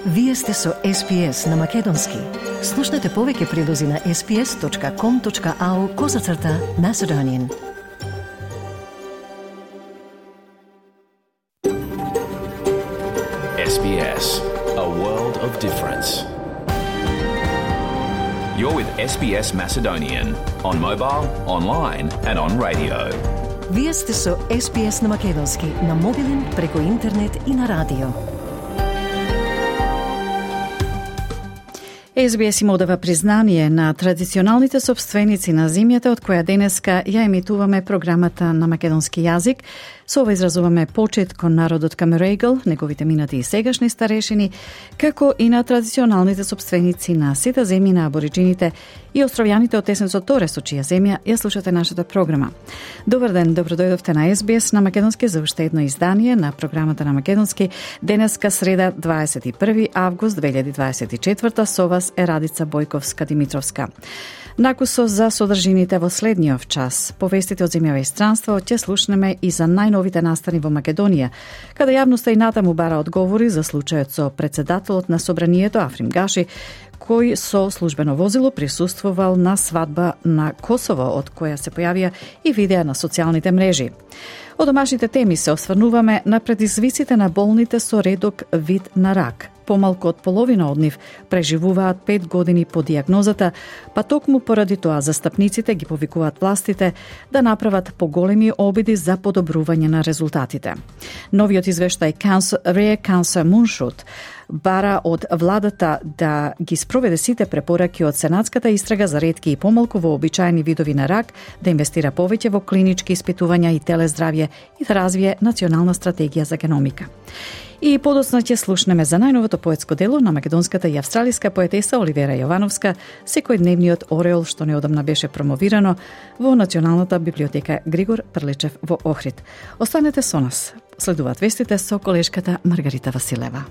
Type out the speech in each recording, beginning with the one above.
Вие сте со SPS на Македонски. Слушнете повеќе прилози на sps.com.au/Macedonian. SBS, a world of difference. You're with SBS Macedonian on mobile, online and on radio. Вие сте со SPS на Македонски на мобилен, преку интернет и на радио. SBS им одава признание на традиционалните собственици на земјата, од која денеска ја емитуваме програмата на македонски јазик. Со ова изразуваме почет кон народот Камерегл, неговите минати и сегашни старешини, како и на традиционалните собственици на сите земји на абориджините и островјаните од Тесенцот Торе, со чија земја ја слушате нашата програма. Добар ден, добродојдовте на SBS на Македонски за уште едно издание на програмата на Македонски. Денеска среда 21 август 2024, со вас е Радица Бојковска-Димитровска. Накусо за содржините во следниот час. Повестите од земјава и странство ќе слушнеме и за најновите настани во Македонија, каде јавноста и натаму бара одговори за случајот со председателот на Собранието Африм Гаши, кој со службено возило присуствувал на свадба на Косово, од која се појавија и видеа на социјалните мрежи. Од домашните теми се осврнуваме на предизвиците на болните со редок вид на рак. Помалку од половина од нив преживуваат 5 години по дијагнозата, па токму поради тоа застапниците ги повикуваат властите да направат поголеми обиди за подобрување на резултатите. Новиот извештај Rare Cancer Moonshot бара од владата да ги спроведе сите препораки од сенатската истрага за ретки и помалку вообичаени видови на рак, да инвестира повеќе во клинички испитувања и телездравје и да развие национална стратегија за геномика. И подоцна ќе слушнеме за најновото поетско дело на македонската и австралиска поетеса Оливера Јовановска, секојдневниот ореол што неодамна беше промовирано во Националната библиотека Григор Прличев во Охрид. Останете со нас. Следуваат вестите со колешката Маргарита Василева.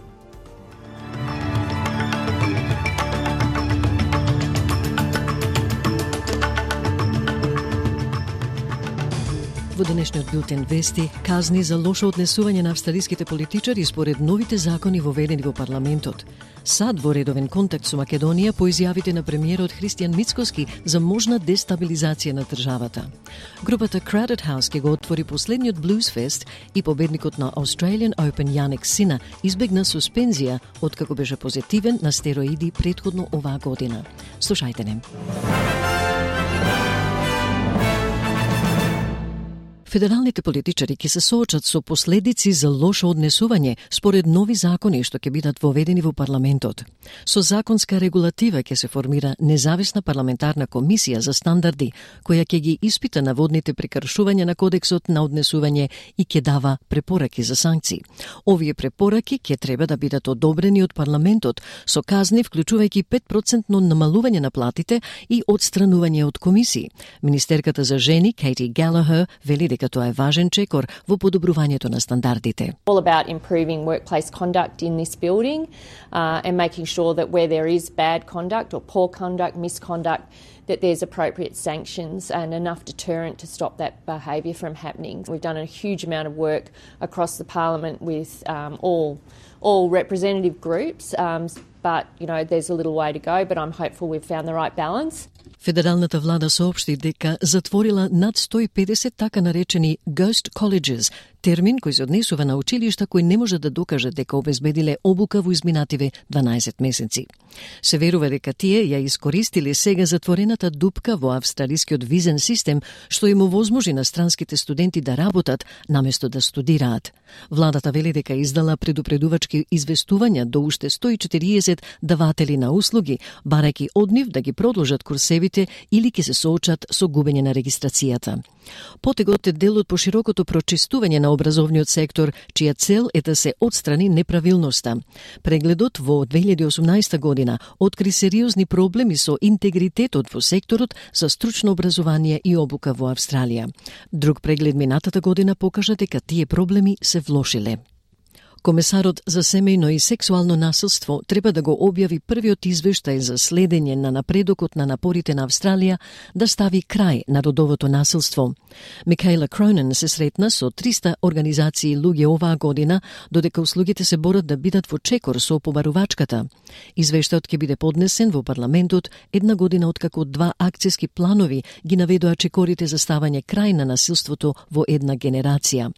Во денешниот билтен вести, казни за лошо однесување на австралиските политичари според новите закони воведени во парламентот. САД во редовен контакт со Македонија по изјавите на премиерот Христијан Мицкоски за можна дестабилизација на државата. Групата Crowded House ќе го отвори последниот Blues Fest и победникот на Australian Open Јанек Сина избегна суспензија откако беше позитивен на стероиди претходно оваа година. Слушајте не. Федералните политичари ќе се соочат со последици за лошо однесување според нови закони што ќе бидат воведени во парламентот. Со законска регулатива ќе се формира независна парламентарна комисија за стандарди, која ќе ги испита наводните прекршувања на кодексот на однесување и ќе дава препораки за санкции. Овие препораки ќе треба да бидат одобрени од парламентот со казни вклучувајќи 5% намалување на платите и отстранување од комисии. Министерката за жени Кейти Галахер вели дека тоа е важен чекор во подобрувањето на стандардите. All about improving workplace conduct in this building and making sure that where there is bad conduct or poor conduct, misconduct, that there's appropriate sanctions and enough deterrent to stop that behaviour from happening. We've done a huge amount of work across the parliament with all representative groups, but there's a little way to go, but I'm hopeful we've found the right balance. Федералната влада соопшти дека затворила над 150 така наречени ghost colleges, термин кој се однесува на училишта кои не може да докажат дека обезбедиле обука во изминативе 12 месеци. Се верува дека тие ја искористиле сега затворената дупка во австралискиот визен систем, што им овозможи на странските студенти да работат наместо да студираат. Владата вели дека издала предупредувачки известувања до уште 140 даватели на услуги, барајќи од нив да ги продолжат курсевите или ќе се соочат со губење на регистрацијата. Потегот е дел од поширокото прочистување на образовниот сектор, чија цел е да се отстрани неправилноста. Прегледот во 2018 година откри сериозни проблеми со интегритетот во секторот за стручно образование и обука во Австралија. Друг преглед минатата година покажа дека тие проблеми се влошиле. Комесарот за семејно и сексуално насилство треба да го објави првиот извештај за следење на напредокот на напорите на Австралија да стави крај на родовото насилство. Микаела Кронен се сретна со 300 организации луѓе оваа година, додека услугите се борат да бидат во чекор со побарувачката. Извештајот ќе биде поднесен во парламентот една година откако 2 акцијски планови ги наведоа чекорите за ставање крај на насилството во една генерација.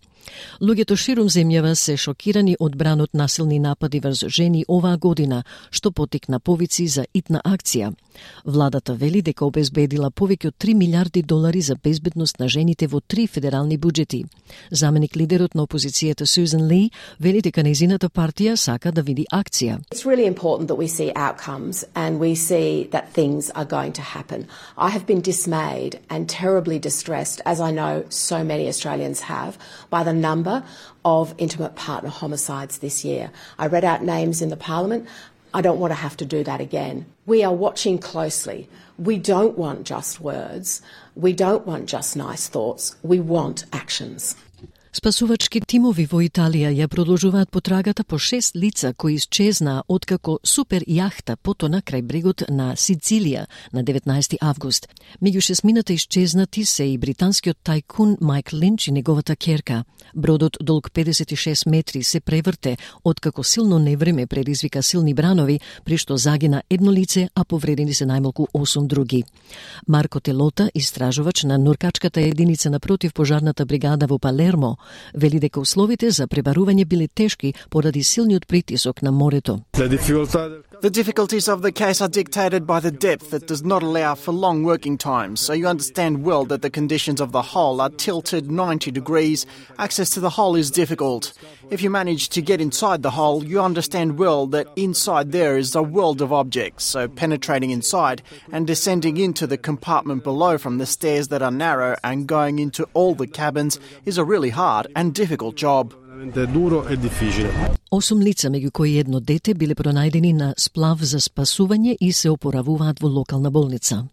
Луѓето ширум земјава се шокирани од бранот насилни напади врз жени оваа година, што поттикна повици за итна акција. Владата вели дека обезбедила повеќе од $3 милиарди за безбедност на жените во 3 федерални буџети. Заменик лидерот на опозицијата Сюзан Ли вели дека нејзината партија сака да види акција. It's really important that we see outcomes and we see that things are going to happen. I have been dismayed and terribly distressed, as I know so many Australians have, by the number of intimate partner homicides this year. I read out names in the Parliament. I don't want to have to do that again. We are watching closely. We don't want just words. We don't want just nice thoughts. We want actions. Спасувачки тимови во Италија ја продолжуваат потрагата по 6 лица кои исчезнаа откако супер јахта потона крај брегот на Сицилија на 19 август. Меѓу 6 исчезнати се и британскиот тајкун Майк Линч и неговата ќерка. Бродот долг 56 метри се преврте откако силно невреме предизвика силни бранови, при што загина едно лице, а повредени се најмалку 8 други. Марко Телота, истражувач на нуркачката единица на противпожарната бригада во Палермо, вели дека условите за пребарување биле тешки поради силниот притисок на морето. The difficulties of the case are dictated by the depth that does not allow for long working times, so you understand well that the conditions of the hull are tilted 90 degrees. Access to the hull is difficult. If you manage to get inside the hull, you understand well that inside there is a world of objects, so penetrating inside and descending into the compartment below from the stairs that are narrow and going into all the cabins is a really hard and difficult job. 8 лица, меѓу кои едно дете, биле пронајдени на сплав за спасување и се опоравуваат во локална болница.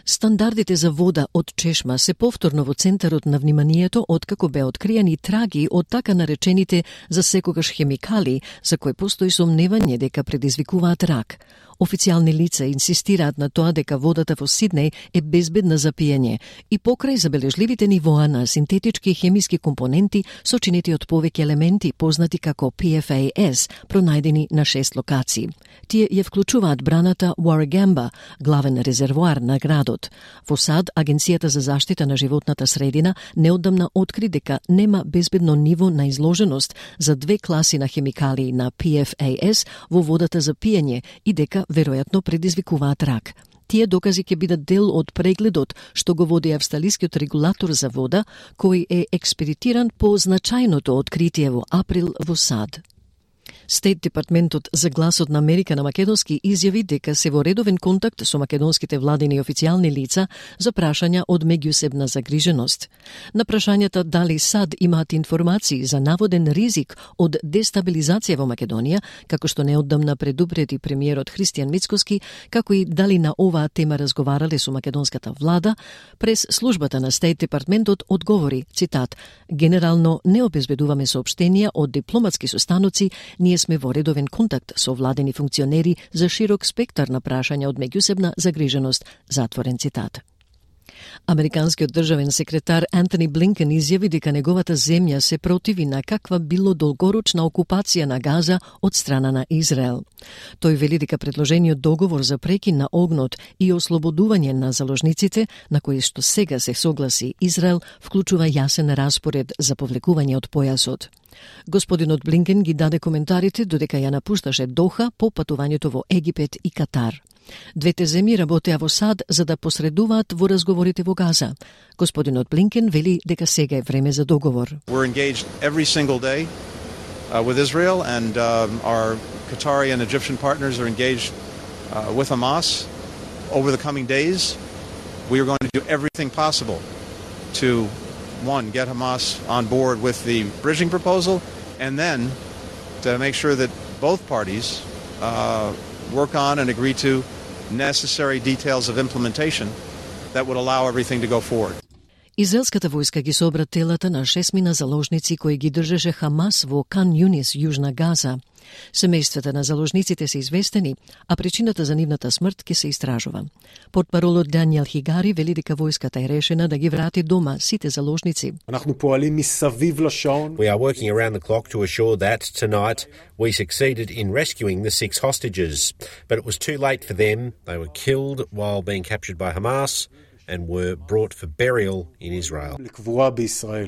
Стандардите за вода од чешма се повторно во центарот на вниманието откако беа откриени траги од така наречените за секогаш хемикали, за кои постои сомневање дека предизвикуваат рак. Официјални лица инсистираат на тоа дека водата во Сиднеј е безбедна за пиење и покрај забележливите нивоа на синтетички хемиски компоненти сочинети од повеќе елементи познати како PFAS, пронајдени на 6 локации. Тие ја вклучуваат браната Warragamba, главен резервоар на градот. Во САД, Агенцијата за заштита на животната средина неодамна откри дека нема безбедно ниво на изложеност за 2 класи на хемикали на PFAS во водата за пиење и дека веројатно предизвикуваат рак. Тие докази ќе бидат дел од прегледот што го води австралискиот регулатор за вода, кој е експедитиран по значајното откритие во април во САД. Стейт Департментот за гласот на Америка на македонски изјави дека се во редовен контакт со македонските владини и официјални лица за прашања од меѓусебна загриженост. На прашањата дали САД имаат информации за наводен ризик од дестабилизација во Македонија, како што неодамна предупреди премиерот Христијан Мицкоски, како и дали на оваа тема разговарале со македонската влада, прес службата на Стейт Департментот одговори, цитат, генерално не обезбедуваме соопштенија од дипломатски состаноци, ние сме во редовен контакт со владени функционери за широк спектар на прашања од меѓусебна загриженост, затворен цитат. Американскиот државен секретар Антони Блинкен изјави дека неговата земја се противи на каква било долгорочна окупација на Газа од страна на Израел. Тој вели дека предложениот договор за прекин на огнот и ослободување на заложниците, на кои што сега се согласи Израел, вклучува јасен распоред за повлекување од појасот. Господинот Блинкен ги даде коментарите додека ја напушташе Доха по патувањето во Египет и Катар. Двете земји работеа во САД за да посредуваат во разговорите во Газа. Господинот Блинкен вели дека сега е време за договор. We're engaged every single day with Israel and our Qatari and Egyptian partners are engaged with Hamas. Over the coming days, we are going to do everything possible to get Hamas on board with the bridging proposal, and then to make sure that both parties work on and agree to necessary details of implementation that would allow everything to go forward. Израелската војска ги собра телата на 6 заложници кои ги држеше Хамас во Кан Юнис, Јужна Газа. Семејствата на заложниците се известени, а причината за нивната смрт ќе се истражува. Портпаролот Даниел Хигари вели дека војската е решена да ги врати дома сите заложници. We are working around the clock to assure that tonight we succeeded in rescuing the 6 hostages, but it was too late for them. They were killed while being captured by Hamas and were brought for burial in Israel.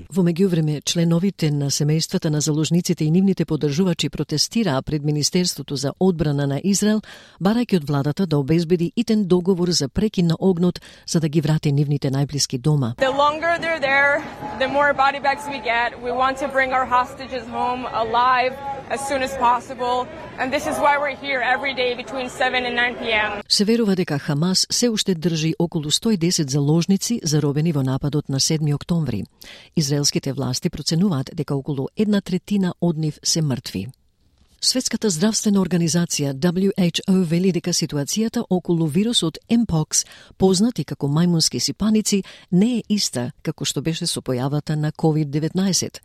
Во меѓувреме, членовите на семејствата на заложниците и нивните поддржувачи протестираа пред Министерството за одбрана на Израел, барајќи од владата да обезбеди итен договор за прекин на огнот за да ги врати нивните најблиски дома. The longer they're there, the more body bags we get. We want to bring our hostages home alive as soon as possible, and this is why we're here every day between 7 and 9 p.m. Се верува дека Хамас се уште држи околу 110 заложници заробени во нападот на 7 октомври. Израелските власти проценуваат дека околу 1/3 од нив се мртви. Светската здравствена организација WHO вели дека ситуацијата околу вирусот Mpox, познат и како мајмунски сипаници, не е иста како што беше со појавата на COVID-19.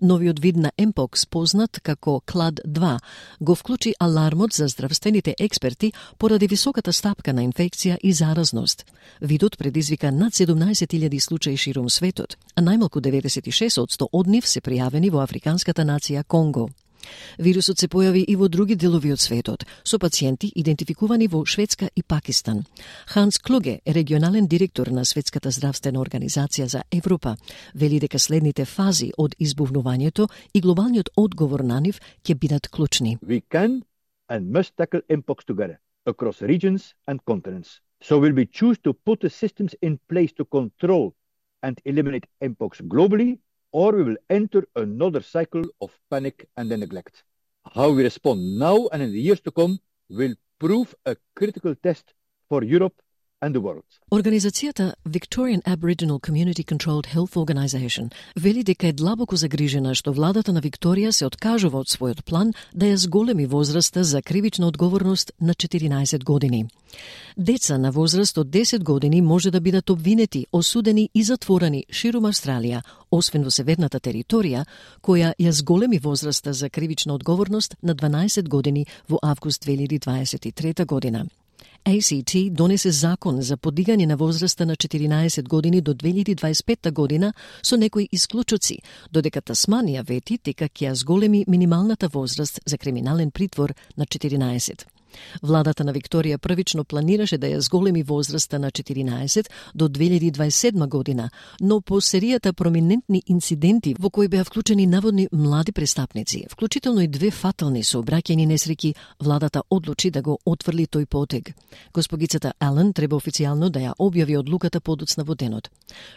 Новиот вид на Mpox, познат како CLAD-2, го вклучи алармот за здравствените експерти поради високата стапка на инфекција и заразност. Видот предизвика над 17.000 случаи ширум светот, а најмалку 96% од нив се пријавени во африканската нација Конго. Вирусот се појави и во други делови од светот, со пациенти идентификувани во Шведска и Пакистан. Ханс Клуге, регионален директор на Светската здравствена организација за Европа, вели дека следните фази од избувнувањето и глобалниот одговор на нив ќе бидат клучни. We can and must tackle Mpox together across regions and continents. So will we choose to put the systems in place to control and eliminate Mpox globally, or we will enter another cycle of panic and neglect. How we respond now and in the years to come will prove a critical test for Europe and the world. Организацијата Victorian Aboriginal Community Controlled Health Organization вели дека е длабоко загрижена што владата на Викторија се откажува од својот план да ја зголеми возраста за кривична одговорност на 14 години. Деца на возраст од 10 години може да бидат обвинети, осудени и затворени ширум Австралија, освен во северната територија, која ја зголеми возраста за кривична одговорност на 12 години во август 2023 година. ACT донесе закон за подигање на возраста на 14 години до 2025 година со некои исклучоци, додека Тасманија вети дека ќе ја зголеми минималната возраст за криминален притвор на 14. Владата на Викторија првично планираше да ја зголеми возраста на 14 до 2027 година, но по серијата проминентни инциденти во кои беа вклучени наводни млади престапници, вклучително и 2 фатални сообраќајни несреќи, владата одлучи да го отфрли тој потег. Госпогицата Ален треба официјално да ја објави одлуката подоцна во денот.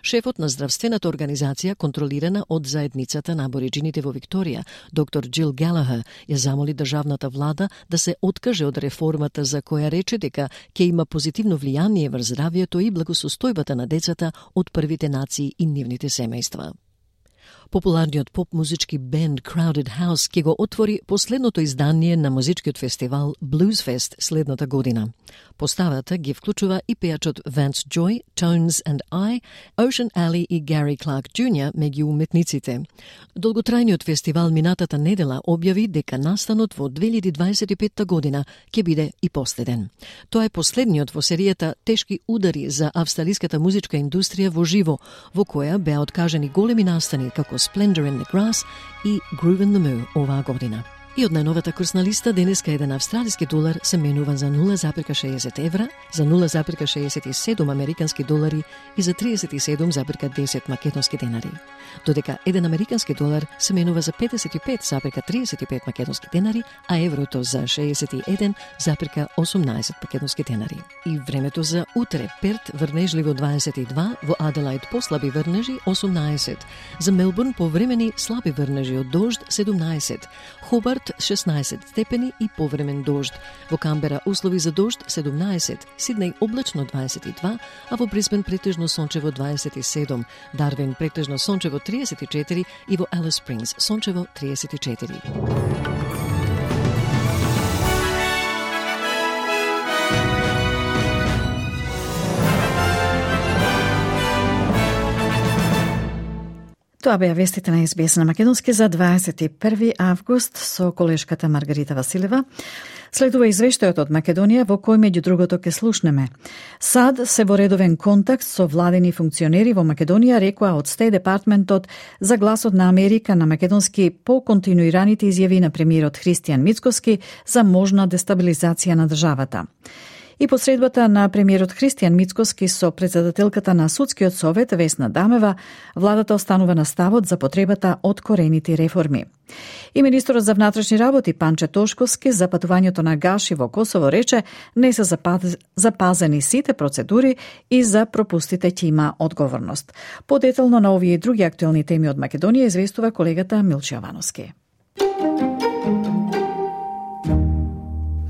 Шефот на здравствената организација, контролирана од заедницата на абориджините во Викторија, доктор Джил Галахер, ја замоли државната влада да се откаже од реформата за која рече дека ќе има позитивно влијание врз здравјето и благосостојбата на децата од првите нации и нивните семејства. Популарниот поп-музички бенд Crowded House ќе го отвори последното издание на музичкиот фестивал Bluesfest следната година. Поставата ги вклучува и пејачот Vance Joy, Tones and I, Ocean Alley и Gary Clark Jr. меѓу уметниците. Долготрајниот фестивал минатата недела објави дека настанот во 2025 година ќе биде и последен. Тоа е последниот во серијата тешки удари за австралиската музичка индустрија во живо, во која беа откажани големи настани како Splendor in the Grass и Groove in the Moo оваа година. И од најновата курсна листа денеска еден австралиски долар се менува за 0,60 евра, за 0,67 американски долари и за 37,10 македонски денари. Додека еден американски долар се менува за 55,35 македонски денари, а еврото за 61,18 македонски денари. И времето за утре: Перт врнежливо 22, во Аделаид послаби врнежи 18, за Мелбурн повремени слаби врнежи од дожд 17, Хобарт 16 степени и повремен дожд. Во Камбера услови за дожд 17, Сиднеј облачно 22, а во Брисбен претежно сончево 27, Дарвин претежно сончево 34 и во Алис Спрингс сончево 34. Тоа беа вестите на SBS на Македонски за 21 август со колешката Маргарита Василева. Следува извештајот од Македонија во кој меѓу другото ке слушнеме. САД се во редовен контакт со владени функционери во Македонија, рекоа од Стеј департментот за гласот на Америка на Македонски по континуираните изјави на премиерот Христијан Мицкоски за можна дестабилизација на државата. И посредбата на премиерот Христијан Мицкоски со председателката на Судскиот совет Весна Дамева, владата останува на ставот за потребата од корените реформи. И министерот за внатрешни работи Панче Тошковски за патувањето на Гаши во Косово рече не се запазени сите процедури и за пропустите ќе има одговорност. Подетално на овие и други актуелни теми од Македонија известува колегата Милче Јовановски.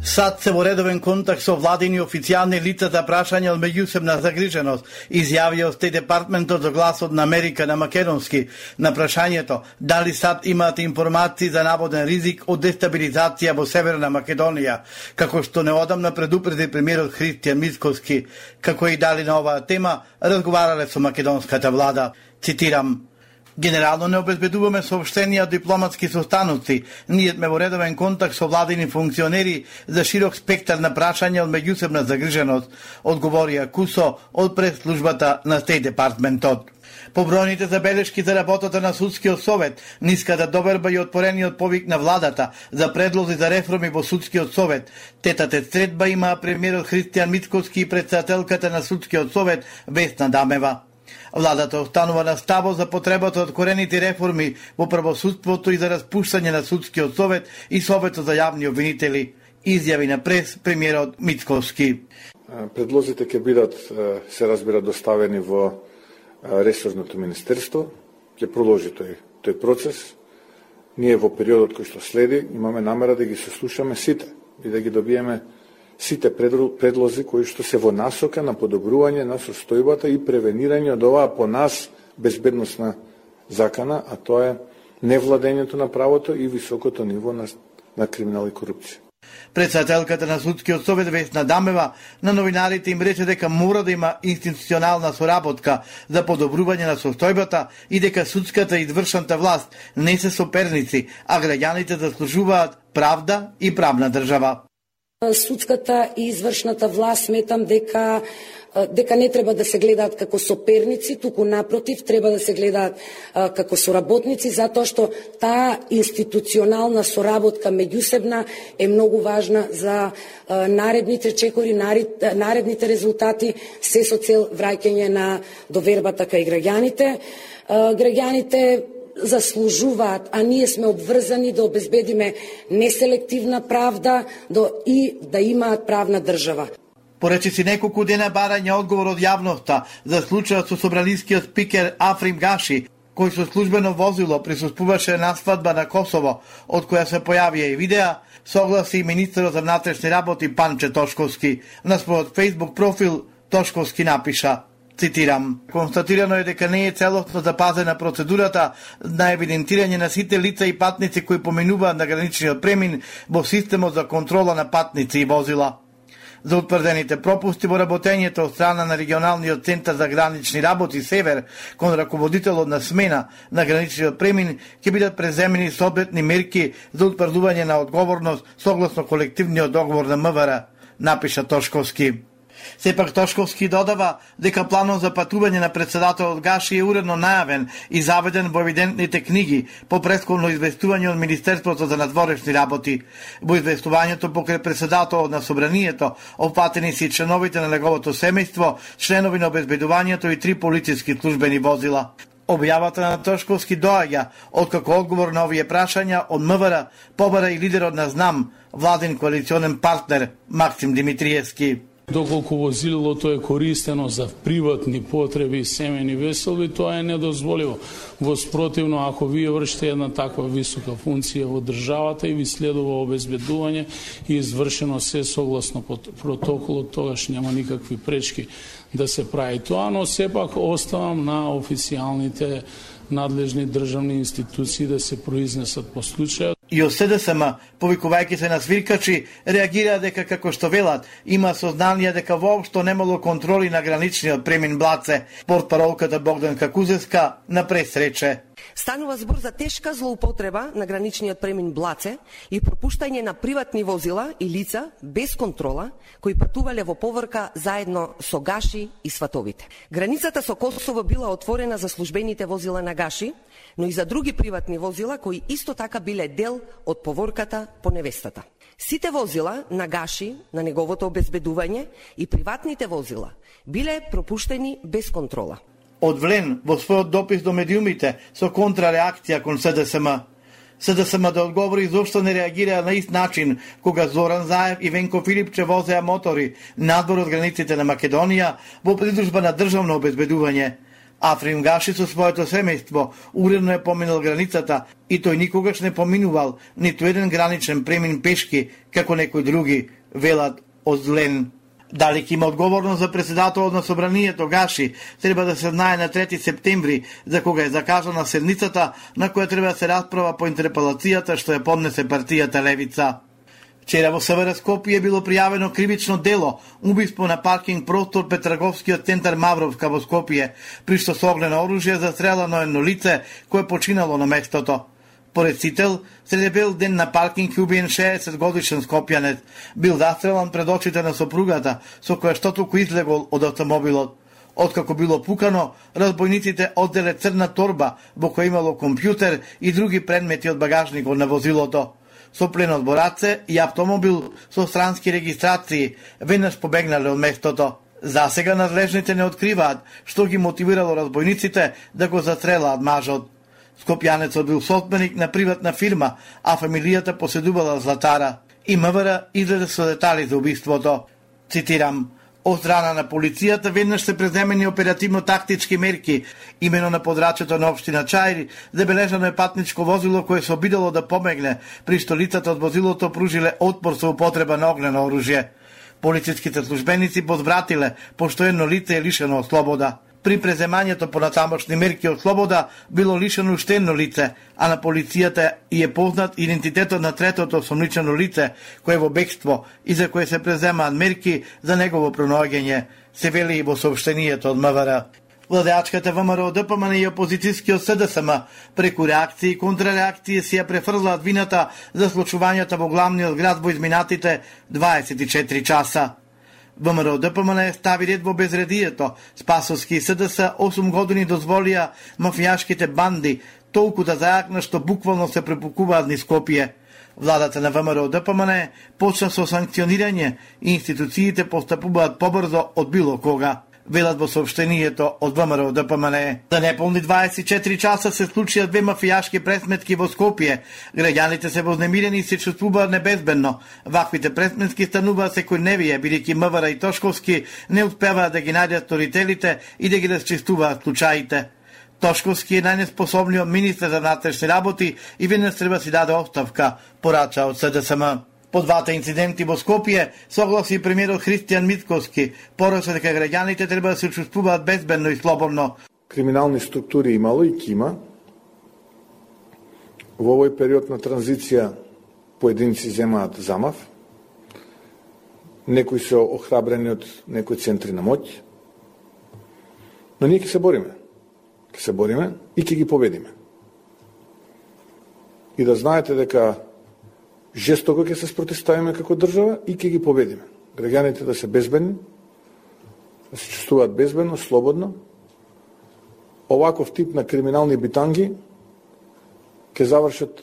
САД се во редовен контакт со владени официјални лица за прашање од меѓусебна загриженост, изјавија од Стеј департментот за гласот на Америка на Македонски на прашањето дали САД имаат информации за наводен ризик од дестабилизација во Северна Македонија, како што неодамна предупреди премиерот Христијан Мицкоски, како и дали на оваа тема разговарале со македонската влада. Цитирам: Генерално не обезбедуваме сообщенија од дипломатски состаноци. Ние сме во редовен контакт со владени функционери за широк спектар на прашања од меѓусебна загриженост, одговорија Кусо од прес-службата на Стеј департментот. Побројните забелешки за работата на Судскиот совет, ниската доверба и отпорениот повик на владата за предлози за реформи во Судскиот совет, тетате средба имаа премиерот Христијан Мицкоски и председателката на Судскиот совет Весна Дамева. Владата останува на ставот за потребата од корените реформи во правосудството и за распуштање на Судскиот совет и Советот за јавни обвинители, изјави на прес премиерот Мицкоски. Предлозите ќе бидат, се разбира, доставени во ресорното министерство, ќе продолжи тој процес. Ние во периодот кој што следи имаме намера да ги сослушаме сите и да ги добиеме сите предлози кои што се во насока на подобрување на состојбата и превенирање од оваа по нас безбедносна закана, а тоа е невладењето на правото и високото ниво на криминал и корупција. Председателката на Судскиот совет Весна Дамева на новинарите им рече дека мора да има институционална соработка за подобрување на состојбата и дека судската и извршната власт не се соперници, а граѓаните заслужуваат правда и правна држава. Судската и извршната власт сметам дека не треба да се гледаат како соперници, туку напротив треба да се гледаат како соработници, затоа што таа институционална соработка меѓусебна е многу важна за наредните чекори, наредните резултати, се со цел враќање на довербата кај граѓаните. Граѓаните заслужуваат, а ние сме обврзани да обезбедиме неселективна правда и да имаат правна држава. Поречиси неколку дена барање одговор од јавноста за случајот со собранискиот спикер Африм Гаши, кој со службено возило присуствуваше на свадба на Косово, од која се појавија и видеа, согласи и министерот за внатрешни работи Панче Тошковски. На својот Facebook профил Тошковски напиша: Цитирам: Констатирано е дека не е целосно запазена процедурата на евидентирање на сите лица и патници кои поминуваат на граничниот премин во системот за контрола на патници и возила. За утврдените пропусти во работењето од страна на регионалниот центар за гранични работи Север кон раководителот на смена на граничниот премин ќе бидат преземени соодветни мерки за утврдување на одговорност согласно колективниот договор на МВР, напиша Тошковски. Сепак Тошковски додава дека планот за патување на председателот Гаши е уредно најавен и заведен во евидентните книги по претходно известување од Министерството за надворешни работи. Во известувањето покрај председателот на собранието опфатени се членовите на неговото семејство, членови на обезбедувањето и 3 полициски службени возила. Објавата на Тошковски доаѓа откако одговор на овие прашања од МВР побара и лидерот на ЗНАМ, владин коалиционен партнер Максим Димитриевски. Доколку возилото е користено за приватни потреби и семени веселби, тоа е недозволиво. Во спротивно, ако вие вршите една таква висока функција во државата и ви следува обезбедување и извршено се согласно протоколот, тогаш нема никакви пречки да се прави тоа, но сепак оставам на официјалните надлежни државни институции да се произнесат по случајот. И од СДСМ, повикувајќи се на свиркачи, реагира дека како што велат, има сознание дека воопшто немало контроли на граничниот премин Блаце. Портпаролката Богданка Кузевска на прес рече: Станува збор за тешка злоупотреба на граничниот премин Блаце и пропуштање на приватни возила и лица без контрола кои патувале во поврка заедно со Гаши и сватовите. Границата со Косово била отворена за службените возила на Гаши, но и за други приватни возила кои исто така биле дел од поворката по невестата. Сите возила на Гаши, на неговото обезбедување и приватните возила биле пропуштени без контрола. Одвлен во својот допис до медиумите со контрареакција кон СДСМ. СДСМ да одговори зошто не реагираа на ист начин кога Зоран Заев и Венко Филипче возеа мотори надвор од границите на Македонија во придружба на државно обезбедување. Африм Гаши со своето семејство уредно е поминал границата и тој никогаш не поминувал ниту еден граничен премин пешки како некои други, велат Озлен. Дали ќе има одговорност за председателот на собранието Гаши, треба да се знае на 3 септември, за кога е закажана седницата на која треба да се расправа по интерпелацијата што ја поднесе партијата Левица. Вчера во СВР Скопје било пријавено кривично дело, убиство на паркинг простор пред трговскиот центар Мавровска во Скопје, при што со огнено оружје застрелано едно лице кое починало на местото. Порецител, среде бел ден на паркинг убиен 60 годишен скопјанец, бил застрелан пред очите на сопругата, со која што току излегол од автомобилот. Откако било пукано, разбојниците одделе црна торба во која имало компјутер и други предмети од багажникот на возилото. Со плен од бораце и автомобил со странски регистрации веднаш побегнале од местото. Засега надлежните не откриваат што ги мотивирало разбојниците да го застрелаат мажот. Скопјанецот бил собственик на приватна фирма, а фамилијата поседувала златара. И МВР излезе со детали за убиството. Цитирам: од страна на полицијата веднаш се преземени оперативно-тактички мерки, имено на подрачето на општина Чаир, забележано е патничко возило кое се обидало да помегне, при што лицата од возилото пружиле отпор со употреба на огнено оружје. Полициските службеници подбратиле, пошто едно лице е лишено од слобода. При преземањето по натамошни мерки од слобода било лишено уште едно лице, а на полицијата и е познат идентитетот на третото осомничено лице, кое е во бегство и за кое се преземаат мерки за негово пронаоѓање, се вели и во соопштението од МВР. Владеачката ВМРО ДПМН и опозицијскиот СДСМ преку реакции и контрареакции си ја префрлаат вината за случувањата во главниот град во изминатите 24 часа. ВМРО ДПМН стави ред во безредието. Спасовски и СДС 8 години дозволија мафијашките банди толку да зајакна што буквално се препукуваат низ Скопје. Владата на ВМРО ДПМН почна со санкционирање и институциите постапуваат побрзо од било кога, велат во соопштението од ВМРО ДПМН. За неполни 24 часа се случија 2 мафијашки пресметки во Скопје. Граѓаните се вознемирени и се чувствуваат небезбедно. Ваквите пресметки стануваат секојдневие, бидејќи МВР и Тошковски не успеваат да ги најдат сторителите и да ги расчистуваат случаите. Тошковски е најнеспособниот министер за внатрешни работи и веднаш треба си даде оставка, порача од СДСМ. По двата инциденти во Скопје согласи премиерот Христијан Митковски, порача дека граѓаните треба да се чувствуваат безбедно и слободно. Криминални структури имало и ќе има. Во овој период на транзиција поединци земаат замав. Некои се охрабрени од некои центри на моќ. Но ние ќе се бориме. Ќе се бориме и ќе ги победиме. И да знаете дека жестоко ќе се спротивставиме како држава и ќе ги победиме. Граѓаните да се безбедни, да се чувствуваат безбедно, слободно. Оваков тип на криминални битанги ќе завршат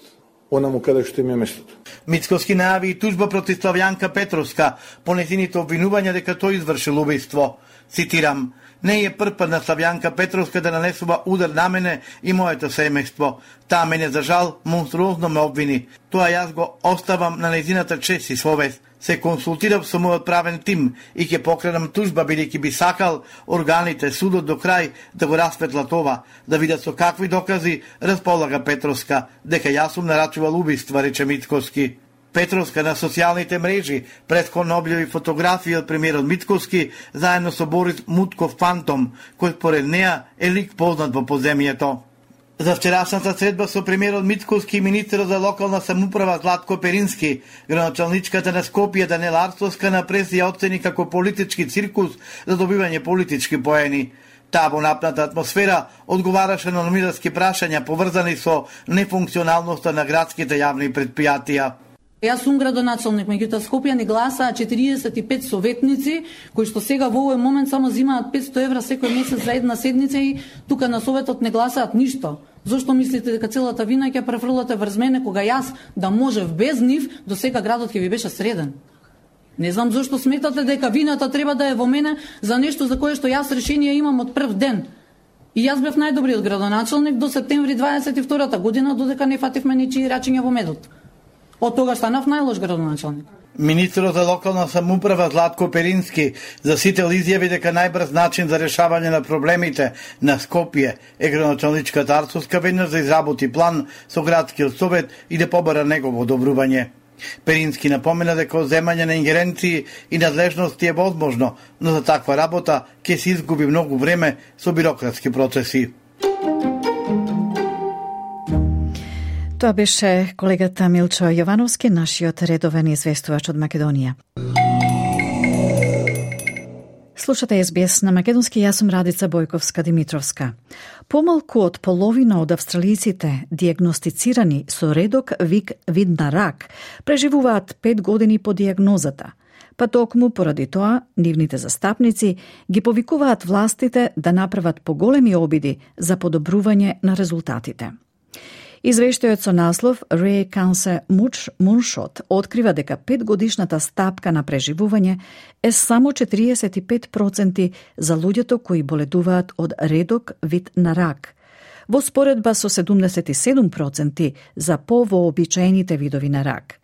онаму каде што им е местото. Мицковски најави и тужба против Славјанка Петровска по нејзините обвинувања дека тој извршил убиство. Цитирам: не е прв пат на Славјанка Петровска да нанесува удар на мене и моето семејство. Таа мене за жал монструозно ме обвини. Тоа јас го оставам на нејзината чест и совест. Се консултирав со мојот правен тим и ќе покренам тужба бидејќи би сакал органите, судот до крај да го расветлат това, да видат со какви докази располага Петровска, дека јас сум нарачувал убиства, рече Митковски. Петровска на социјалните мрежи претходно објави фотографија од премиерот Митковски заедно со Борис Мутков Фантом, кој според неа е лик познат во подземјето. За вчерашната средба со премиерот Митковски и министерот за локална самоуправа Златко Перински, градоначалничката на Скопје Данела Арсловска на прес ја оцени како политички циркус за добивање политички поени. Таа во напната атмосфера одговараше на номинарски прашања поврзани со нефункционалноста на градските јавни предпријатија. Јас сум градоначалник, меѓутоа Скопје ни гласаа 45 советници, кои што сега во овој момент само земаат 500 евра секој месец за една седница и тука на советот не гласаат ништо. Зошто мислите дека целата вина ќе префрлате врз мене, кога јас да можев без нив, до сега градот ќе ви беше среден? Не знам зошто сметате дека вината треба да е во мене за нешто за кое што јас решение имам од прв ден. И јас бев најдобриот градоначалник до септември 22 година, додека не фативме ничии рачиња во медот. Од тога станав најлош градоначалник. Министерот за локална самоуправа Златко Перински за сител изјави дека најбрз начин за решавање на проблемите на Скопје е градоначалничката Арцовска веднаш да изработи план со градскиот совет и да побара негово одобрување. Перински напомена дека земање на ингеренции и надлежности е возможно, но за таква работа ќе се изгуби многу време со бирократски процеси. Тоа беше колегата Милчо Јовановски, нашиот редовен известувач од Македонија. Слушате СБС на македонски, јас сум Радица Бојковска-Димитровска. Помалку од половина од австралиците диагностицирани со редок вид на рак преживуваат 5 години по диагнозата, па токму поради тоа нивните застапници ги повикуваат властите да направат поголеми обиди за подобрување на резултатите. Извештајот со наслов Rare Cancer Moonshot открива дека 5-годишната стапка на преживување е само 45% за луѓето кои боледуваат од редок вид на рак, во споредба со 77% за повообичаените видови на рак.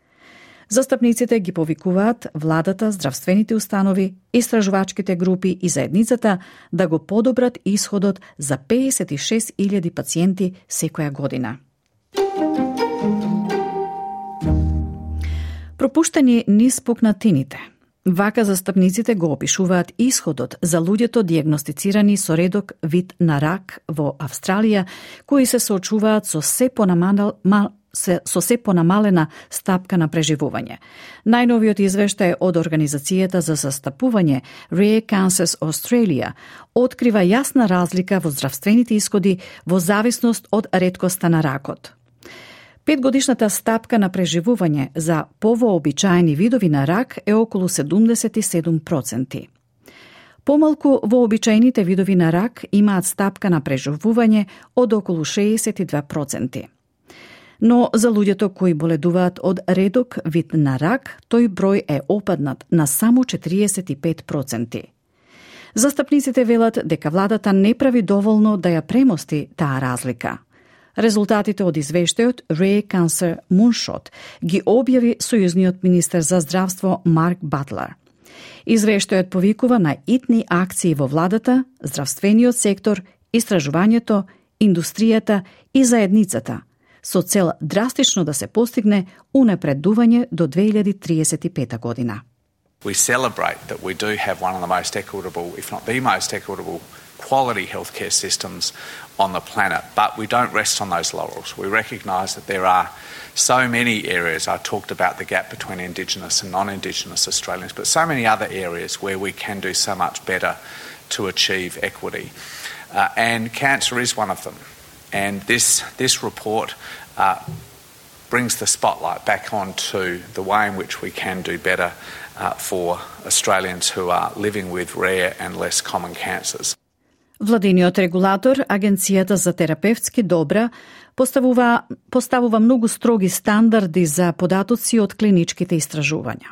Застапниците ги повикуваат владата, здравствените установи, истражувачките групи и заедницата да го подобрат исходот за 56.000 пациенти секоја година. Пропуштени низ пукнатините. Вака застапниците го опишуваат исходот за луѓето диагностицирани со редок вид на рак во Австралија, кои се соочуваат со се понамалена стапка на преживување. Најновиот извештај од Организацијата за застапување Rare Cancers Australia открива јасна разлика во здравствените исходи во зависност од реткоста на ракот. 5-годишната стапка на преживување за повообичаени видови на рак е околу 77%. Помалку вообичаените видови на рак имаат стапка на преживување од околу 62%. Но за луѓето кои боледуваат од редок вид на рак, тој број е опаднат на само 45%. Застапниците велат дека владата не прави доволно да ја премости таа разлика. Резултатите од извештајот Rare Cancer Moonshot ги објави сојузниот министер за здравство Марк Батлер. Извештајот повикува на итни акции во владата, здравствениот сектор, истражувањето, индустријата и заедницата, со цел драстично да се постигне унапредување до 2035 година. We celebrate that we do have one of the most equitable, if not the most equitable, quality healthcare systems on the planet, but we don't rest on those laurels. We recognise that there are so many areas. I talked about the gap between Indigenous and non-Indigenous Australians, but so many other areas where we can do so much better to achieve equity. And cancer is one of them. And this report brings the spotlight back onto the way in which we can do better for Australians who are living with rare and less common cancers. Владиниот регулатор, Агенцијата за терапевтски добра, поставува многу строги стандарди за податоци од клиничките истражувања.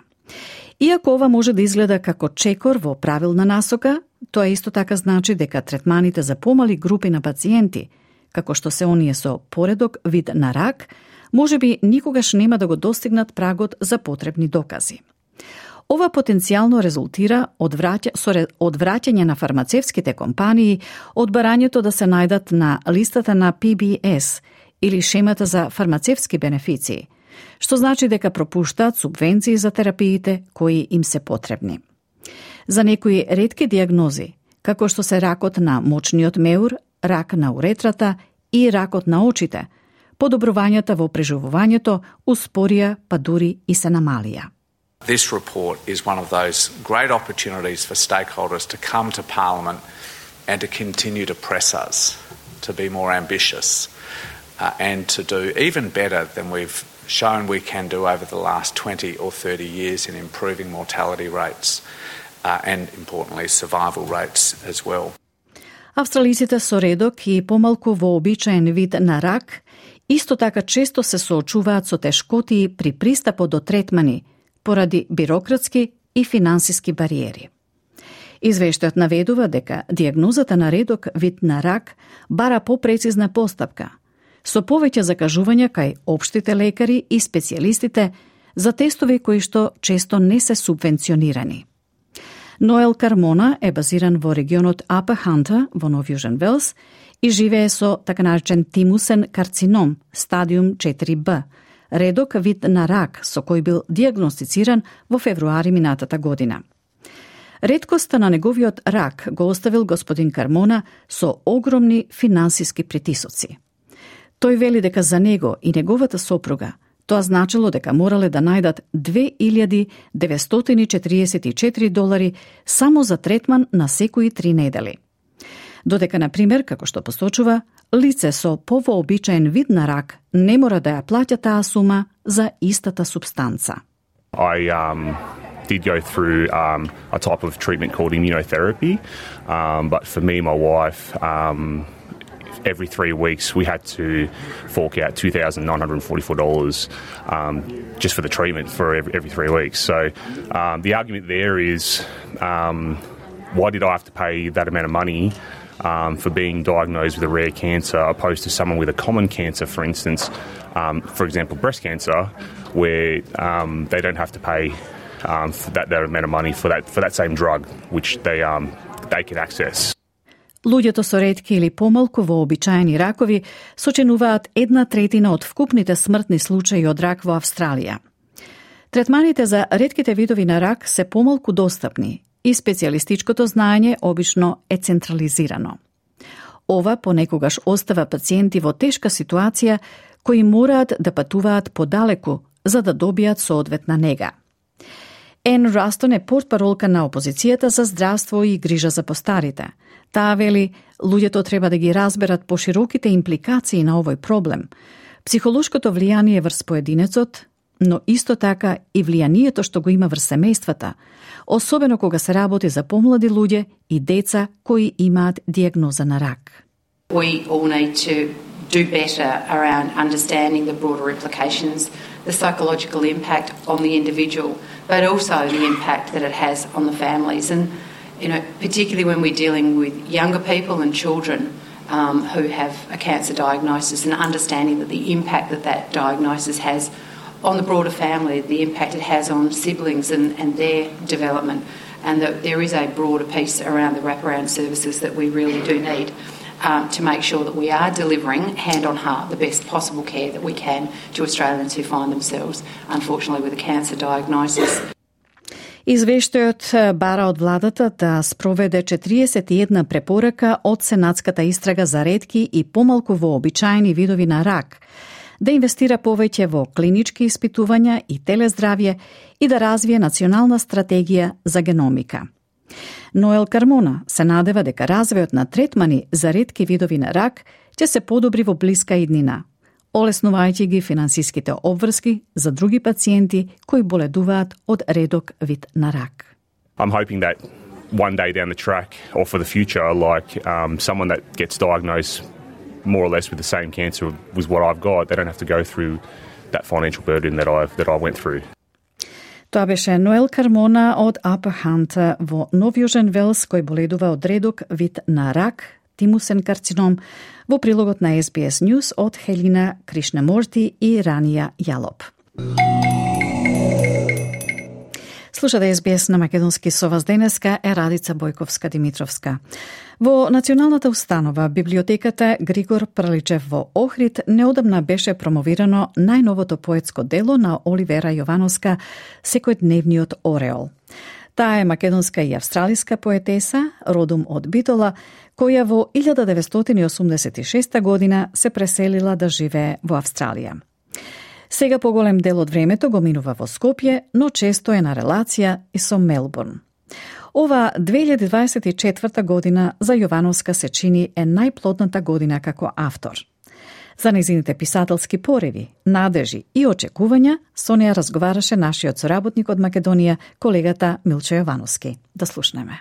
Иако ова може да изгледа како чекор во правилна насока, тоа исто така значи дека третманите за помали групи на пациенти, како што се оние со поредок вид на рак, можеби никогаш нема да го достигнат прагот за потребни докази. Ова потенцијално резултира од враќање на фармацевските компании од барањето да се најдат на листата на PBS или шемата за фармацевски бенефиции, што значи дека пропуштаат субвенции за терапиите кои им се потребни. За некои ретки диагнози, како што се ракот на мочниот меур, рак на уретрата и ракот на очите, подобрувањата во преживувањето успорија, па дури и се намалија. This report is one of those great opportunities for stakeholders to come to Parliament and to continue to press us to be more ambitious and to do even better than we've shown we can do over the last 20 or 30 years in improving mortality rates and, importantly, survival rates as well. Австралиците со редок и помалку вообичаен вид на рак исто така често се соочуваат со тешкоти при пристапот до третмани поради бирократски и финансиски бариери. Извештајот наведува дека дијагнозата на редок вид на рак бара попрецизна постапка, со повеќе закажувања кај општите лекари и специјалистите за тестови кои што често не се субвенционирани. Ноел Кармона е базиран во регионот Upper Hunter во Нов Јужен Велс и живее со така наречен тимусен карцином, стадиум 4B, редок вид на рак со кој бил дијагностициран во февруари минатата година. Реткоста на неговиот рак го оставил господин Кармона со огромни финансиски притисоци. Тој вели дека за него и неговата сопруга тоа значило дека морале да најдат $2,944 само за третман на секои 3 недели. Додека, на пример, како што посочува, лице со повообичаен вид на рак не мора да ја плаќа таа сума за истата субстанца. I did go through a type of treatment called immunotherapy, but for me and my wife, every 3 weeks we had to fork out $2,944 just for the treatment for every 3 weeks. So the argument there is, why did I have to pay that amount of money for being diagnosed with a rare cancer opposed to someone with a common cancer, for instance, for example, breast cancer, where they don't have to pay for that amount of money for that same drug, which they can access. Луѓето со ретки или помалку вообичаени ракови сочинуваат 1/3 од вкупните смртни случаи од рак во Австралија. Третманите за ретките видови на рак се помалку достапни и специјалистичкото знаење обично е централизирано. Ова понекогаш остава пациенти во тешка ситуација кои мораат да патуваат подалеку за да добијат соодветна нега. Ен Растон е портпаролка на опозицијата за здравство и грижа за постарите. Таа вели, луѓето треба да ги разберат пошироките импликации на овој проблем, психолошкото влијание врз поединецот, но исто така и влијанието што го има врз семејствата, особено кога се работи за помлади луѓе и деца кои имаат дијагноза на рак. We all need to do better around understanding the broader implications, the psychological impact on the individual, but also the impact that it has on the families. And, you know, particularly when we're dealing with younger people and children who have a cancer diagnosis, and understanding that the impact that diagnosis has on the broader family, the impact it has on siblings and their development, and that there is a broader piece around the wraparound services that we really do need to make sure that we are delivering hand on heart the best possible care that we can to Australians who find themselves, unfortunately, with a cancer diagnosis. Извештајот бара од владата да спроведе 41 препорака од Сенатската истрага за ретки и помалку вообичаени видови на рак, да инвестира повеќе во клинички испитувања и телездравје и да развие национална стратегија за геномика. Ноел Кармона се надева дека развојот на третмани за ретки видови на рак ќе се подобри во блиска иднина, олеснувајќи ги финансиските обврски за други пациенти кои боледуваат од редок вид на рак. I'm hoping that one day down the track or for the future, like someone that gets diagnosed more or less with the same cancer was what I've got, they don't have to go through that financial burden that I went through. Тоа беше Ноел Кармона од Upper Hunter во Нов Јужен Велс, кој боледува од редок вид на рак, тимусен карцином, во прилогот на SBS News од Хелина Кришнаморти и Рания Јалоп. Слушате SBS на македонски со вас денеска е Радица Бојковска-Димитровска. Во Националната установа библиотеката Григор Праличев во Охрид неодамна беше промовирано најновото поетско дело на Оливера Јовановска Секојдневниот ореол. Таа е македонска и австралиска поетеса, родом од Битола, која во 1986 година се преселила да живее во Австралија. Сега поголем дел од времето го минува во Скопје, но често е на релација и со Мелбурн. Ова 2024 година за Јовановска се чини е најплодната година како автор. За нејзините писателски пореви, надежи и очекувања со неја разговараше нашиот соработник од Македонија, колегата Милчо Јовановски. Да слушнеме.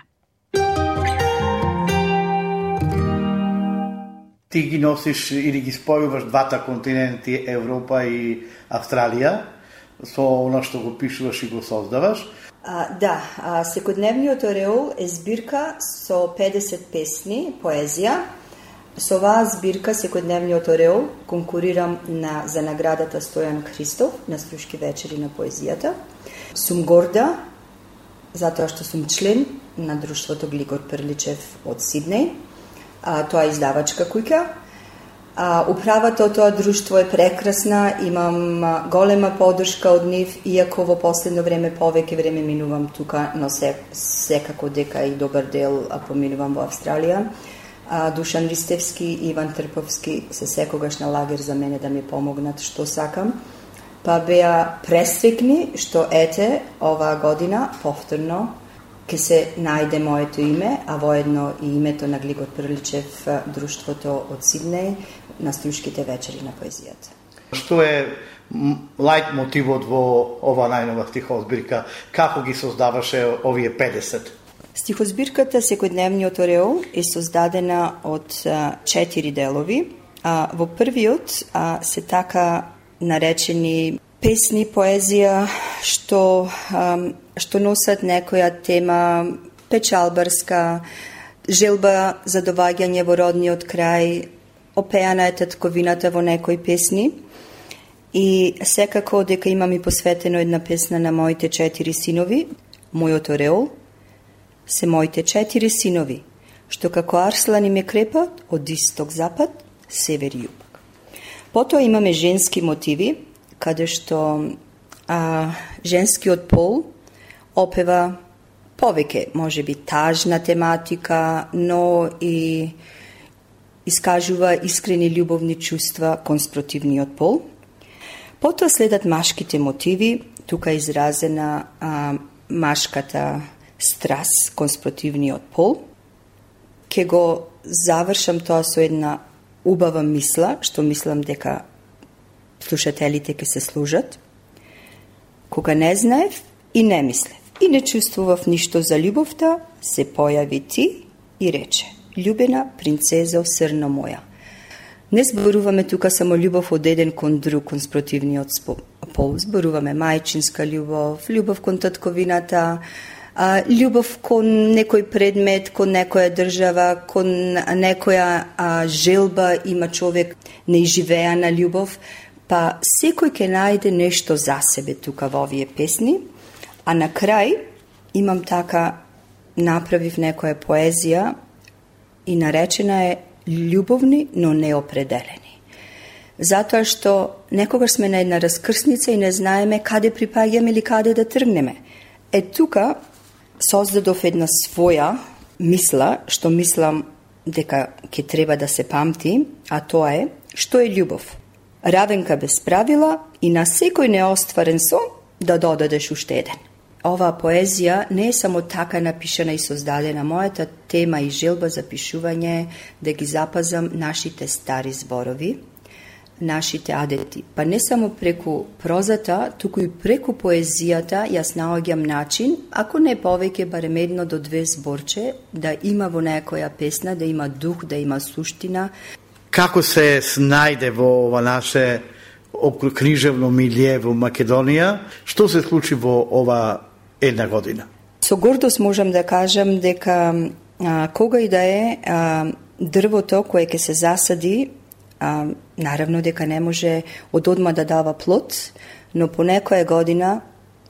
Ти ги носиш или ги спојуваш двата континенти, Европа и Австралија, со оно што го пишуваш и го создаваш. Да, Секојдневниот ореол е збирка со 50 песни, поезија. Со оваа збирка, Секојдневниот ореол, конкурирам за наградата Стојан Христов на Струшки вечери на поезијата. Сум горда, затоа што сум член на друштвото Глигор Прличев од Сиднеј. Тоа е издавачка куќа. Управата од тоа друштво е прекрасна, имам голема поддршка од нив, иако во последно време повеќе време минувам тука, но секако дека и добар дел поминувам во Австралија. Душан Ристевски и Иван Трповски се секогаш на лагер за мене да ми помогнат што сакам. Па беа пресвекни што ете оваа година повторно ке се најде моето име, а воедно и името на Глигор Прличев, друштвото од Сиднеј, на Струшките вечери на поезијата. Што е лајт мотивот во ова најнова стихозбирка? Како ги создаваше овие 50? Стихозбирката Секојдневниот ореол е создадена од 4 делови. Во првиот се така наречени песни, поезија, што носат некоја тема печалбарска, желба за доваѓање во родниот крај, опеана е татковината во некои песни. И секако дека имам и посветено една песна на моите 4 синови, мојот ореол, се моите 4 синови, што како арслани ме крепат од исток-запад, север и југ. Потоа имаме женски мотиви, каде што женскиот пол опева повеќе, можеби тажна тематика, но и искажува искрени љубовни чувства кон спротивниот пол. Потоа следат машките мотиви, тука е изразена машката страс кон спротивниот пол. Ке го завршам тоа со една убава мисла, што мислам дека слушателите ке се служат. Кога не знаев и не мислев и не чувствував ништо за љубовта, се појави ти и рече: љубена принцезо срно моја. Не зборуваме тука само љубов од еден кон друг, кон спротивниот пол. Зборуваме мајчинска љубов, љубов кон татковината, љубов кон некој предмет, кон некоја држава, кон некоја желба има човек, неизживеана љубов, па секој ќе најде нешто за себе тука во овие песни, а на крај имам така, направив некоја поезија и наречена е љубовни, но неопределени. Затоа што некогаш сме на една раскрсница и не знаеме каде припаѓаме или каде да тргнеме. Тука создадов една своја мисла, што мислам дека ќе треба да се памти, а тоа е: што е љубов? Равенка без правила и на секој неостварен сон да додадеш уште еден. Оваа поезија не е само така напишана и создадена. Мојата тема и желба за пишување да ги запазам нашите стари зборови, нашите адети. Па не само преку прозата, туку и преку поезијата јас наоѓам начин, ако не повеќе, барем 1 до 2 зборче, да има во некоја песна, да има дух, да има суштина. Како се снајде во ова наше книжевно милје во Македонија? Што се случи во ова една година? Со гордост можам да кажам дека кога и да е дрвото кое ќе се засади, наравно дека не може од одма да дава плод, но по некоја година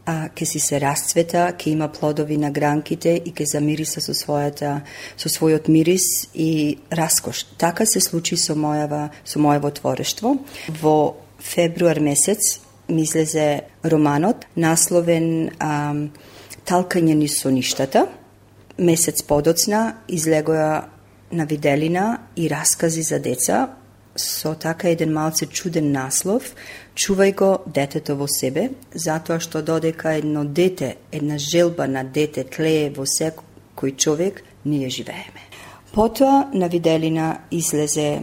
ќе си се расцвета, ќе има плодови на гранките и ќе замириса со својот мирис и раскош. Така се случи со моево творештво. Во февруар месец ми излезе романот, насловен Талкање низ соништата. Месец подоцна излегоа на виделина и раскази за деца, со така еден малце чуден наслов: Чувај го детето во себе, затоа што додека едно дете, една желба на дете тлее во кој човек ние живееме. Потоа на виделина излезе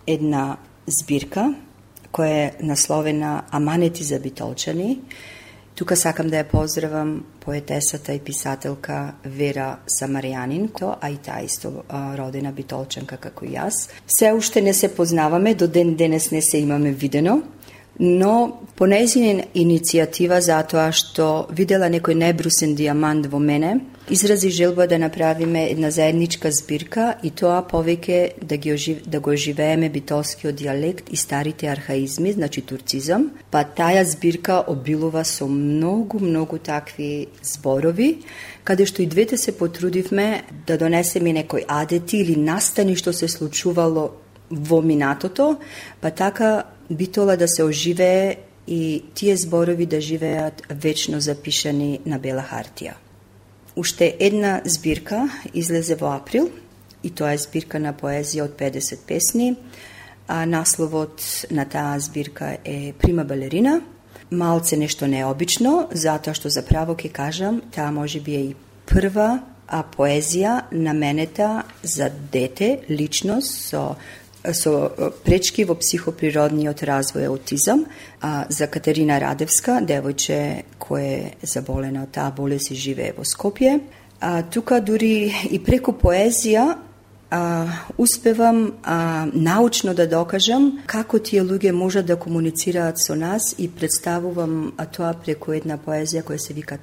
една збирка која е насловена Аманети за битолчани. Тука сакам да ја поздравам поетесата и писателка Вера Самарјанин, а и таа исто родена битолчанка како и јас. Се уште не се познаваме, до ден денес не се имаме видено, но по нејзина иницијатива, затоа што видела некој небрусен дијамант во мене, изрази желба да направиме една заедничка збирка и тоа повеќе да го оживееме битолскиот дијалект и старите архаизми, значи турцизам, па таа збирка обилува со многу такви зборови, каде што и двете се потрудивме да донесеме некои адети или настани што се случувало во минатото, па така битола да се оживее и тие зборови да живеат вечно запишани на бела хартија. Уште една збирка излезе во април и тоа е збирка на поезија од 50 песни. Насловот на таа збирка е Прима балерина. Малце нешто необично, затоа што заправо ќе кажам, таа можеби е и прва поезија наменета за дете, личност со пречки во психоприродниот развој аутизам, за Катерина Радевска, девојче кој е заболена од таа болест и живее во Скопје. Тука дури и преку поезија успевам научно да докажам како тие луѓе можат да комуницираат со нас и представувам тоа преку една поезија која се вика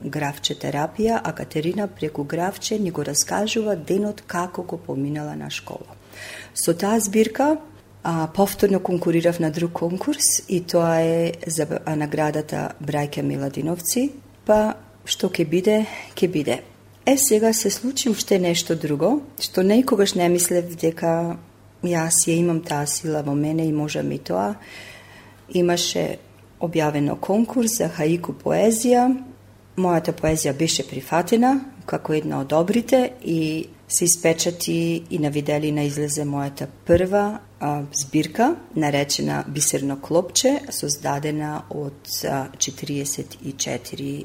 Графче терапија, а Катерина преку Графче ни го раскажува денот како го поминала на школа. Со таа збирка повторно конкурирав на друг конкурс и тоа е за наградата Браќа Миладиновци, па што ќе биде, ќе биде. Сега се случи уште нешто друго, што никогаш не мислев дека јас ја имам таа сила во мене и можам и тоа. Имаше објавено конкурс за хаику поезија. Мојата поезија беше прифатена како една од добрите и се испечати и на виделина излезе мојата прва збирка, наречена Бисерно клопче, создадена од 44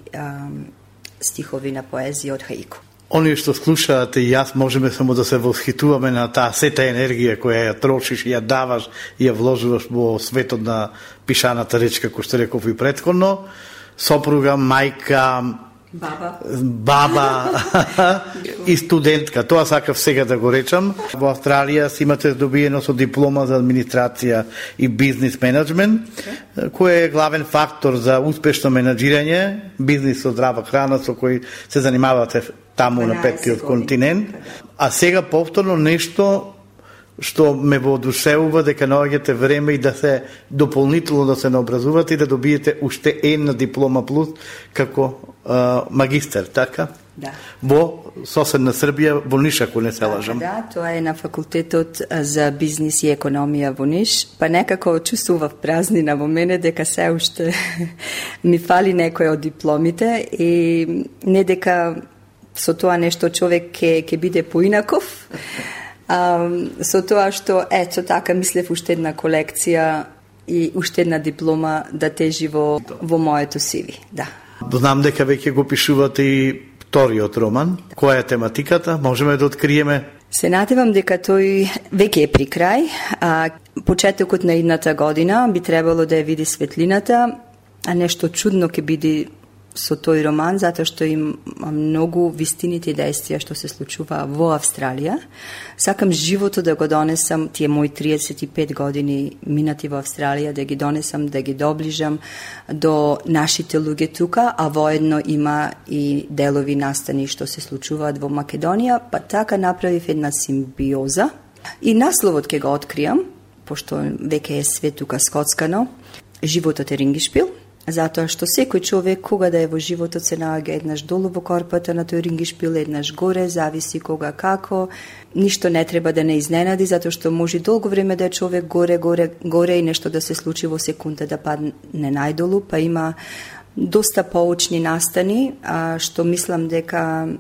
стихови на поезија од хаику. Они што слушаат и јас можеме само да се восхитуваме на таа сета енергија која ја трошиш, ја даваш и ја вложуваш во светот на пишаната реч, како што реков и претходно. Сопруга, мајка, баба и студентка. Тоа сакав сега да го речам. Во Австралија си имате добиено со диплома за администрација и бизнис менеджмент, кој е главен фактор за успешно менеджирање, бизнис со здрава храна со кој се занимавате таму на петтиот континент. А сега повторно нешто што ме воодушевува дека наоѓате време и да се дополнително да се наобразувате и да добиете уште една диплома плюс како магистер, така? Да. Во соседна Србија, во Ниш, ако не се лажам. Да, тоа е на факултетот за бизнис и економија во Ниш, па некако чувствував празнина во мене дека се уште ми фали некој од дипломите и не дека со тоа нешто човек ќе биде поинаков, со тоа што, ето така, мислев уште една колекција и уште една диплома да тежи во моето CV, да. Знам дека веќе го пишувате и вториот роман. Која е тематиката? Можеме да откриеме? Се надевам дека тој веќе е при крај, почетокот на идната година би требало да ја види светлината, а нешто чудно ќе биде со тој роман, затоа што има многу вистините и действија што се случува во Австралија. Сакам живото да го донесам, тие мои 35 години минати во Австралија, да ги донесам, да ги доближам до нашите луѓе тука, а воедно има и делови настани што се случуваат во Македонија, па така направив една симбиоза. И насловот ќе го откријам, пошто веќе е све тука скоцкано, Животот е рингишпил, затоа што секој човек кога да е во животот се наоѓа еднаш долу во корпата на тој рингишпил, еднаш горе, зависи кога како. Ништо не треба да не изненади, затоа што може долго време да е човек горе и нешто да се случи во секунда да падне најдолу, па има доста поучни настани, што мислам дека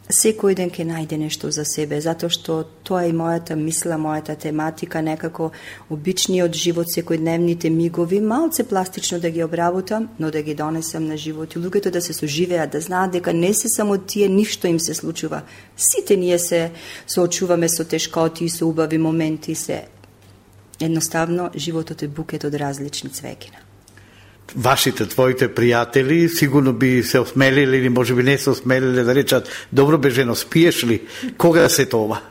секој ден ќе најде нешто за себе, затоа што тоа е мојата мисла, мојата тематика, некако обичниот живот, секојдневните мигови, малце пластично да ги обработам, но да ги донесам на живот и луѓето да се соживеат, да знаат дека не се само тие, ништо им се случува. Сите ние се соочуваме со тешкоти и со убави моменти, едноставно животот е букет од различни цвеќина. Вашите, твоите пријатели сигурно би се осмелили или можеби не се осмелили да речат: добро бе жено, спиеш ли? Кога се това?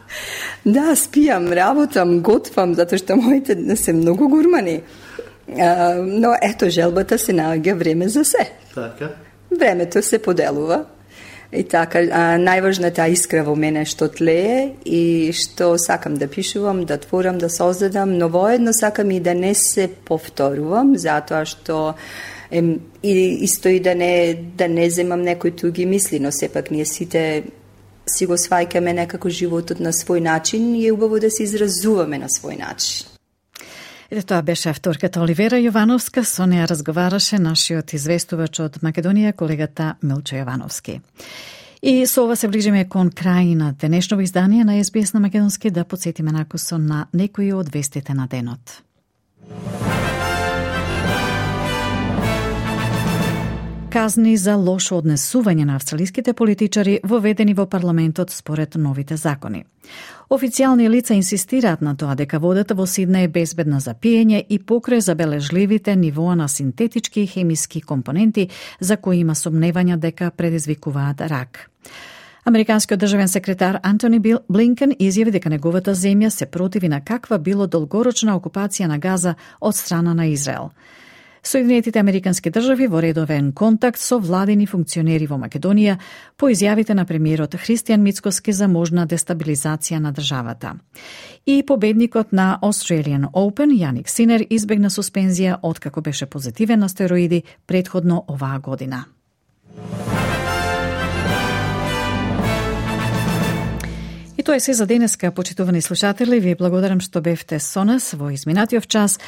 Да, спијам, работам, готвам, затоа што моите се многу гурмани. Но ето, желбата се наоѓа време за се. Така. Времето се поделува. И така, најважната искра во мене што тлее и што сакам да пишувам, да творам, да создадам, но воедно сакам и да не се повторувам, затоа што исто и да не земам некои туги мисли, но сепак ние сите си го сваќаме некако животот на свој начин и е убаво да се изразуваме на свој начин. Ете, тоа беше авторката Оливера Јовановска, со неја разговараше нашиот известувач од Македонија, колегата Милчо Јовановски. И со ова се ближиме кон крај на денешното издание на SBS на Македонски, да подсетиме накусон на некои од вестите на денот. Казни за лошо однесување на австралиските политичари воведени во парламентот според новите закони. Официјални лица инсистираат на тоа дека водата во Сиднеј е безбедна за пиење и покрај забележливите нивоа на синтетички и хемиски компоненти за кои има сомневања дека предизвикуваат рак. Американскиот државен секретар Антони Блинкен изјави дека неговата земја се противи на каква било долгорочна окупација на Газа од страна на Израел. Соединетите американски држави во редовен контакт со владени функционери во Македонија по изјавите на премиерот Христијан Мицкоски за можна дестабилизација на државата. И победникот на Australian Open, Јаник Синер, избегна суспензија откако беше позитивен на стероиди претходно оваа година. И тоа е се за денеска, почитувани слушатели. Ви благодарам што бевте со нас во изминатиот час.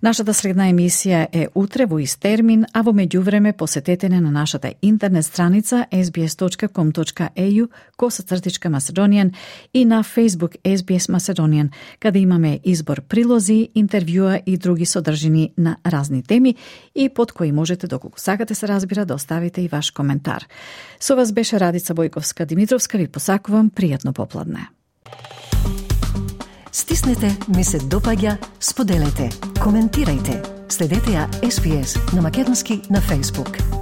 Нашата следна емисија е утре во ист термин, а во меѓувреме посетете на нашата интернет страница sbs.com.au/Macedonian и на Facebook SBS Macedonian, каде имаме избор прилози, интервјуа и други содржини на разни теми и под кои можете, доколку сакате се разбира, да оставите и ваш коментар. Со вас беше Радица Бојковска-Димитровска. Ви посакувам пријатно попладне. Стиснете, ми се допаѓа, споделете, коментирајте. Следете ја SBS на Македонски на Facebook.